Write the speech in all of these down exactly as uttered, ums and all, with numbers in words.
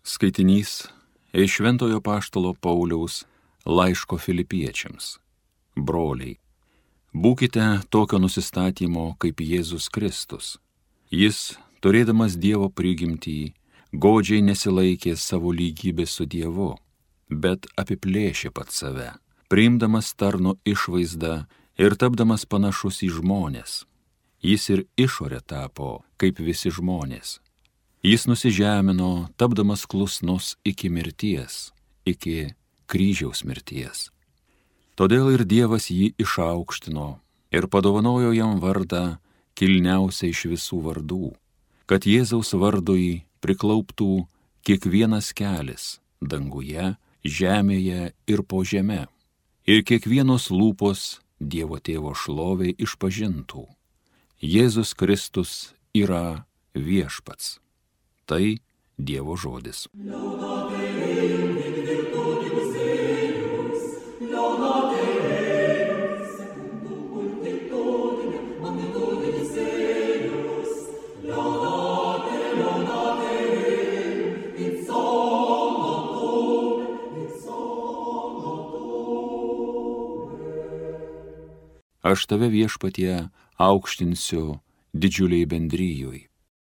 Skaitinys iš Šventojo apaštalo Pauliaus laiško Filipiečiams. Broliai, būkite tokio nusistatymo kaip Jėzus Kristus. Jis, turėdamas Dievo prigimtį, godžiai nesilaikė savo lygybės su Dievu, bet apiplėšė pats save, priimdamas tarno išvaizdą ir tapdamas panašus į žmones. Jis ir išorė tapo kaip visi žmonės. Jis nusižemino, tapdamas klusnus iki mirties, iki kryžiaus mirties. Todėl ir Dievas jį išaukštino ir padovanojo jam vardą kilniausią iš visų vardų, kad Jėzaus vardui priklauptų kiekvienas kelis danguje, žemėje ir po žeme, ir kiekvienos lūpos Dievo Tėvo šloviai išpažintų: Jėzus Kristus yra viešpats. Tai Dievo žodis. Aš tave, Viešpatie, aukštinsiu didžiuliai bendrijoj.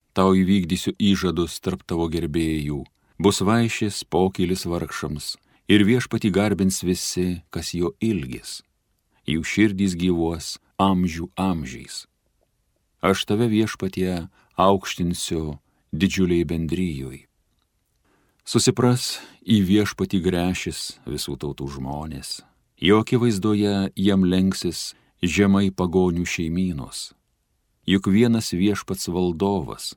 Tau įvykdysiu įžadus tarp tavo gerbėjų, bus vaišės pokylis vargšams, ir Viešpatį garbins visi, kas jo ilgis. Jų širdys gyvuos amžių amžiais. Aš tave, Viešpatie, aukštinsiu didžiuliai bendrijoj. Susipras į Viešpatį gręšis visų tautų žmonės, jo akivaizdoje jam lenksis žemai pagonių šeimynos. Juk vienas Viešpats valdovas,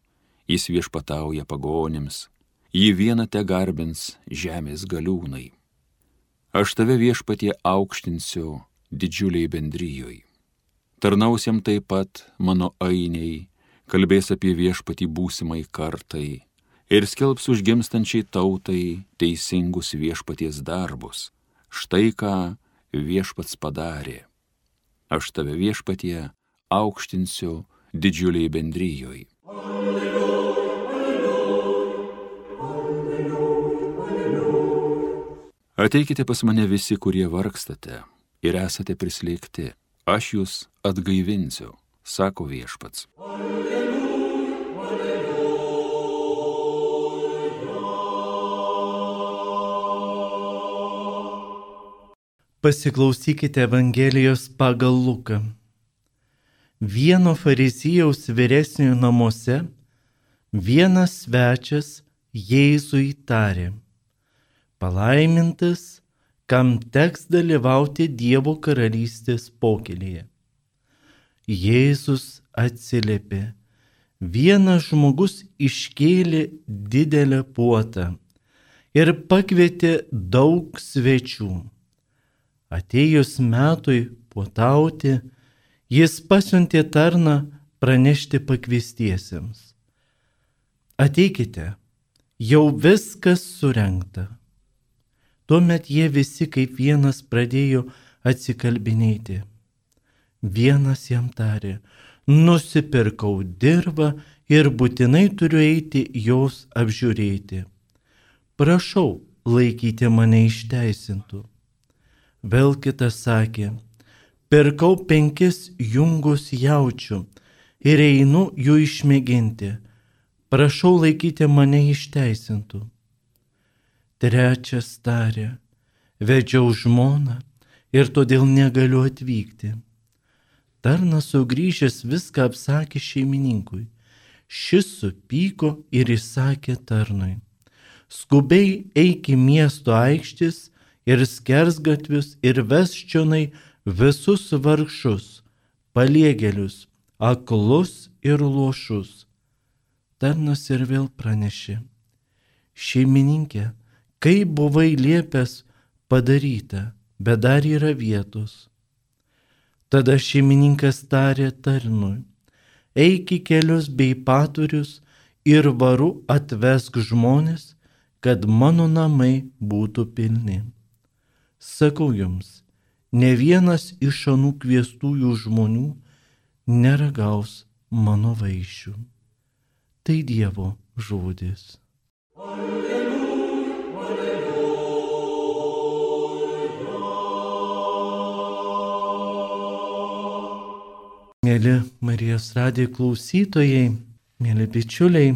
jis viešpatauja pagonims, jį vieną te garbins žemės galiūnai. Aš tave, Viešpatie, aukštinsiu didžiuliai bendrijoj. Tarnausiam taip pat mano ainiai, kalbės apie Viešpatį būsimai kartai ir skelbs užgimstančiai tautai teisingus Viešpaties darbus. Štai ką Viešpats padarė. Aš tave, Viešpatie, aukštinsiu didžiuliai bendrijoj. Ateikite pas mane visi, kurie vargstate ir esate prislėgti, aš jūs atgaivinsiu, sako Viešpats. Pasiklausykite Evangelijos pagal Luką. Vieno fariziejaus vyresniojo namuose vienas svečias Jėzui tarė: palaimintas, kam teks dalyvauti Dievo karalystės pokylyje. Jėzus atsiliepė: vienas žmogus iškėlė didelę puotą ir pakvietė daug svečių. Atėjus metui puotauti, jis pasiuntė tarną pranešti pakviestiesiems: ateikite, jau viskas surengta. Tuomet jie visi kaip vienas pradėjo atsikalbinėti. Vienas jam tarė: nusipirkau dirvą ir būtinai turiu eiti jos apžiūrėti. Prašau, laikyti mane išteisintų. Vėl kitas sakė: pirkau penkis jungus jaučių ir einu jų išmėginti. Prašau, laikyti mane išteisintų. Trečias tarė: vedžiau žmoną ir todėl negaliu atvykti. Tarnas sugrįžęs viską apsakė šeimininkui. Šis supyko ir įsakė tarnui: skubiai eik į miesto aikštis ir skersgatvius ir vesk čionai visus vargšus, paliegėlius, aklus ir luošus. Tarnas ir vėl pranešė: šeimininkė, kaip buvai liepęs padaryta, bet dar yra vietos. Tada šeimininkas tarė tarnui: eik į kelius bei paturius ir varu atvesk žmones, kad mano namai būtų pilni. Sakau jums, ne vienas iš anų kviestųjų žmonių neragaus mano vaišių. Tai Dievo žodis. Alleluja. Mėly Marijos radijo klausytojai, mėly bičiuliai,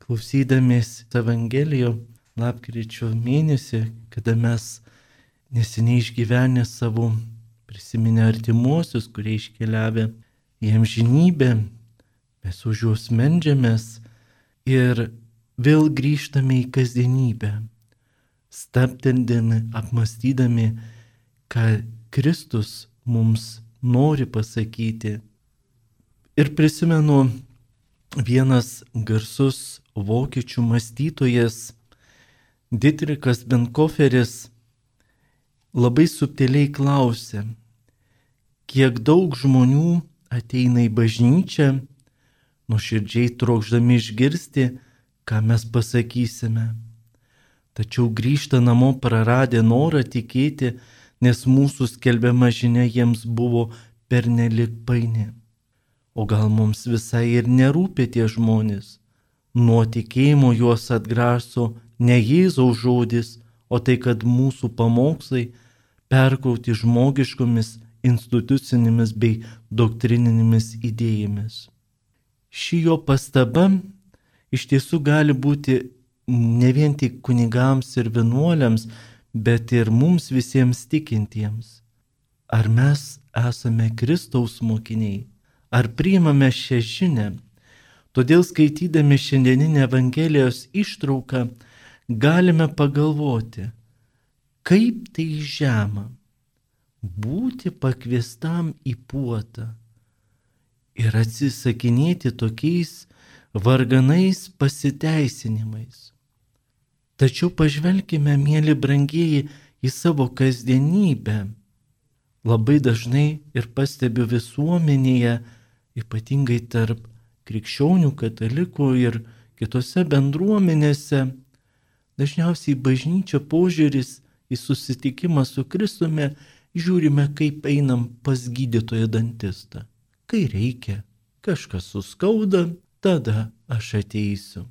klausydamiesi Evangelijo lapkričio mėnesį, kada mes neseniai išgyvenę savo prisiminę artimuosius, kurie iškeliavę į amžinybę, mes už juos meldžiamės ir vėl grįžtame į kasdienybę, stabteldami, apmastydami, ką Kristus mums nori pasakyti. Ir prisimenu, vienas garsus vokiečių mąstytojas Dietrichas Bonhoefferis labai subtiliai klausė, kiek daug žmonių ateina į bažnyčią, nuoširdžiai trokšdami išgirsti, ką mes pasakysime. Tačiau grįžta namo praradę norą tikėti, nes mūsų skelbiama žinia jiems buvo pernelik paini. O gal mums visai ir nerūpi tie žmonės? Nuo tikėjimo juos atgraso ne Jėzaus žodis, o tai, kad mūsų pamokslai perkrauti žmogiškomis institucinėmis bei doktrininėmis idėjomis. Ši jo pastaba iš tiesų gali būti ne vien tik kunigams ir vienuoliams, bet ir mums visiems tikintiems. Ar mes esame Kristaus mokiniai? Ar priimame šią žinią? Todėl skaitydami šiandieninę Evangelijos ištrauką galime pagalvoti, kaip tai žema būti pakviestam į puotą ir atsisakinėti tokiais varganais pasiteisinimais. Tačiau pažvelkime, mėly brangieji, į savo kasdienybę. Labai dažnai ir pastebiu visuomenėje, ypatingai tarp krikščionių, katalikų ir kitose bendruomenėse, dažniausiai bažnyčia požiūris į susitikimą su Kristumi žiūrime, kaip einam pas gydytoją dantistą. Kai reikia, kažkas suskauda, tada aš ateisiu.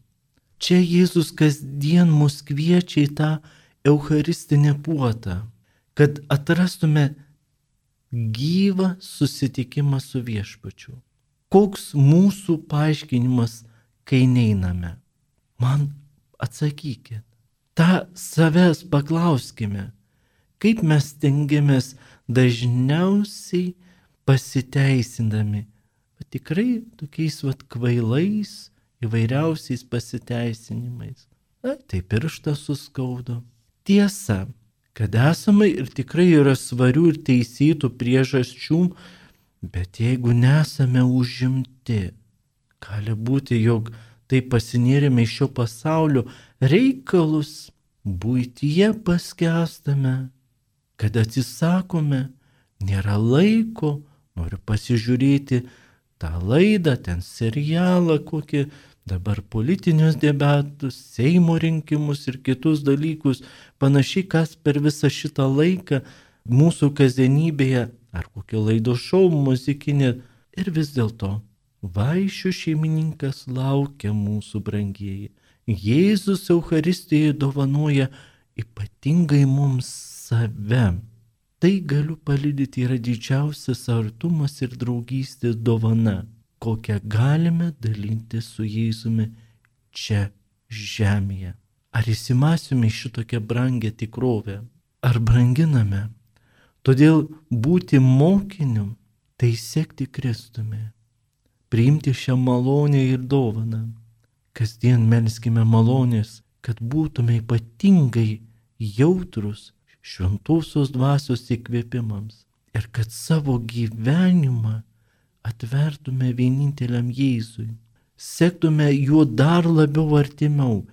Čia Jėzus kasdien mus kviečia į tą eucharistinę puotą, kad atrastume gyvą susitikimą su viešpačiu. Koks mūsų paaiškinimas, kai neiname? Man atsakykit. Ta savęs paklauskime, kaip mes stengiamės dažniausiai pasiteisindami, bet tikrai tokiais vat kvailais, įvairiausiais pasiteisinimais. Na, tai pirštą suskaudo. Tiesa, kad esame ir tikrai yra svarių ir teisėtų priežasčių, bet jeigu nesame užimti, gali būti, jog tai pasinėrėme iš šio pasaulio reikalus, buityje paskęstame, kad atsisakome, nėra laiko, noriu pasižiūrėti tą laidą, ten serialą kokį, dabar politinius debatus, Seimo rinkimus ir kitus dalykus, panašiai, kas per visą šitą laiką mūsų kasdienybėje, ar kokio laido šou muzikinė, ir vis dėlto vaišių šeimininkas laukia mūsų brangieji. Jėzus Eucharistijoje dovanoja ypatingai mums save. Tai galiu paliudyti yra didžiausias artumas ir draugystės dovana, kokią galime dalinti su Jėzumi čia žemėje. Ar įsimąsime šitokią brangę tikrovę? Ar branginame? Todėl būti mokiniu, tai sekti Kristumi, priimti šią malonę ir dovaną. Kasdien melskime malonės, kad būtume ypatingai jautrus šventosios dvasios įkvėpimams ir kad savo gyvenimą atvertume vieninteliam Jėzui, sektume juo dar labiau artimiau,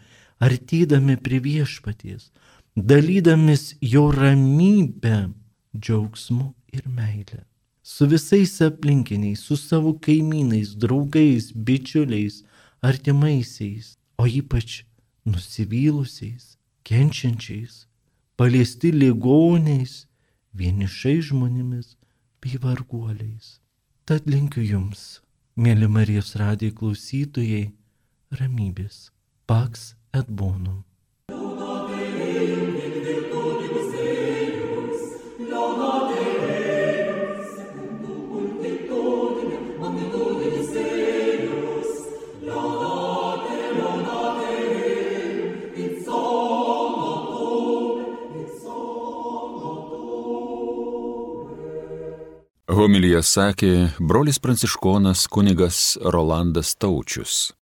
artydami prie viešpaties, dalydamis jo ramybę, džiaugsmu ir meilę. Su visais aplinkiniais, su savo kaimynais, draugais, bičiuliais, artimaisiais, o ypač nusivylusiais, kenčiančiais, paliesti ligoniais, vienišais žmonėmis bei varguoliais. Tad linkiu jums, mėly Marijos radijo klausytojai, ramybės. Pax et bonum. Laudate Deus, secundum multitudinem Homiliją sakė brolis pranciškonas kunigas Rolandas Taučius.